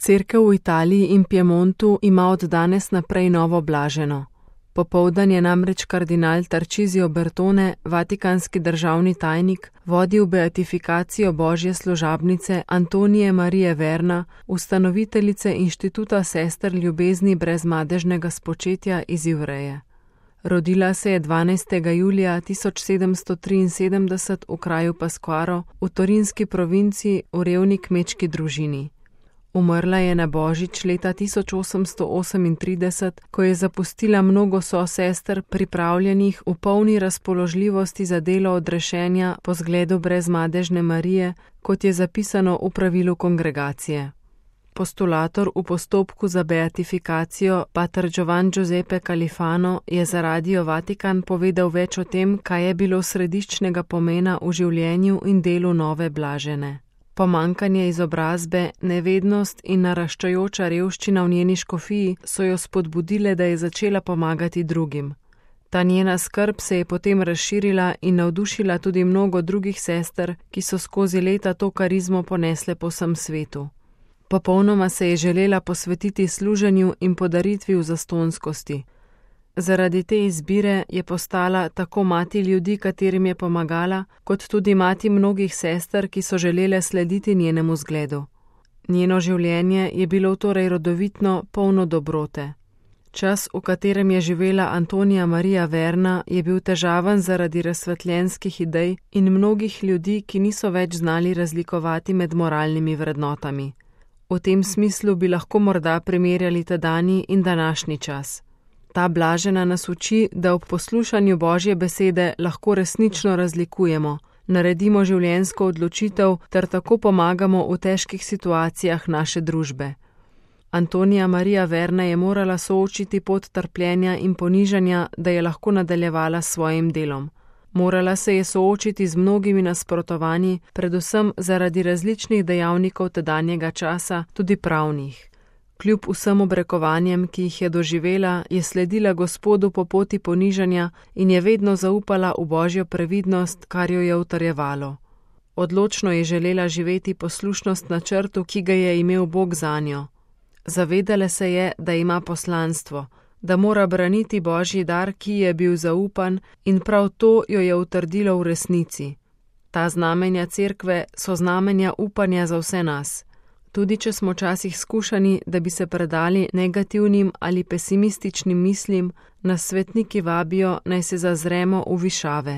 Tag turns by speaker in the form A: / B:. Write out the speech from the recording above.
A: Cerkev v Italiji in Piemontu ima od danes naprej novo blaženo. Popoldan je namreč kardinal Tarcisio Bertone, vatikanski državni tajnik, vodil beatifikacijo božje služabnice Antonije Marije Verna, ustanoviteljice Inštituta sester ljubezni brez madežnega spočetja iz Ivreje. Rodila se je 12. julija 1773 v kraju Pasquaro v Torinski provinci v revni kmečki družini. Umrla je na božič leta 1838, ko je zapustila mnogo sosester, pripravljenih v polni razpoložljivosti za delo odrešenja po zgledu brezmadežne Marije, kot je zapisano v pravilu kongregacije. Postulator v postopku za beatifikacijo, pater Giovan Giuseppe Califano, je za Radio Vatikan povedal več o tem, kaj je bilo središčnega pomena v življenju in delu nove blažene. Pomankanje izobrazbe, nevednost in naraščajoča revščina v njeni škofiji so jo spodbudile, da je začela pomagati drugim. Ta njena skrb se je potem razširila in navdušila tudi mnogo drugih sester, ki so skozi leta to karizmo ponesle po vsem svetu. Popolnoma se je želela posvetiti služenju in podaritvi v zastonskosti. Zaradi te izbire je postala tako mati ljudi, katerim je pomagala, kot tudi mati mnogih sester, ki so želele slediti njenemu zgledu. Njeno življenje je bilo torej rodovitno, polno dobrote. Čas, v katerem je živela Antonija Marija Verna, je bil težaven zaradi razsvetljenskih idej in mnogih ljudi, ki niso več znali razlikovati med moralnimi vrednotami. V tem smislu bi lahko morda primerjali tedanji in današnji čas. Ta blažena nas uči, da ob poslušanju Božje besede lahko resnično razlikujemo, naredimo življenjsko odločitev ter tako pomagamo v težkih situacijah naše družbe. Antonija Marija Verna je morala soočiti pot trpljenja in ponižanja, da je lahko nadaljevala s svojim delom. Morala se je soočiti z mnogimi nasprotovanji, predvsem zaradi različnih dejavnikov tedanjega časa, tudi pravnih. Kljub vsem obrekovanjem, ki jih je doživela, je sledila Gospodu po poti ponižanja in je vedno zaupala v Božjo previdnost, kar jo je utrjevalo. Odločno je želela živeti poslušnost načrtu, ki ga je imel Bog zanjo. Zavedala se je, da ima poslanstvo, da mora braniti Božji dar, ki je bil zaupan, in prav to jo je utrdilo v resnici. Ta znamenja cerkve so znamenja upanja za vse nas. Tudi če smo včasih skušani, da bi se predali negativnim ali pesimističnim mislim, nas svetniki vabijo, naj se zazremo v višave.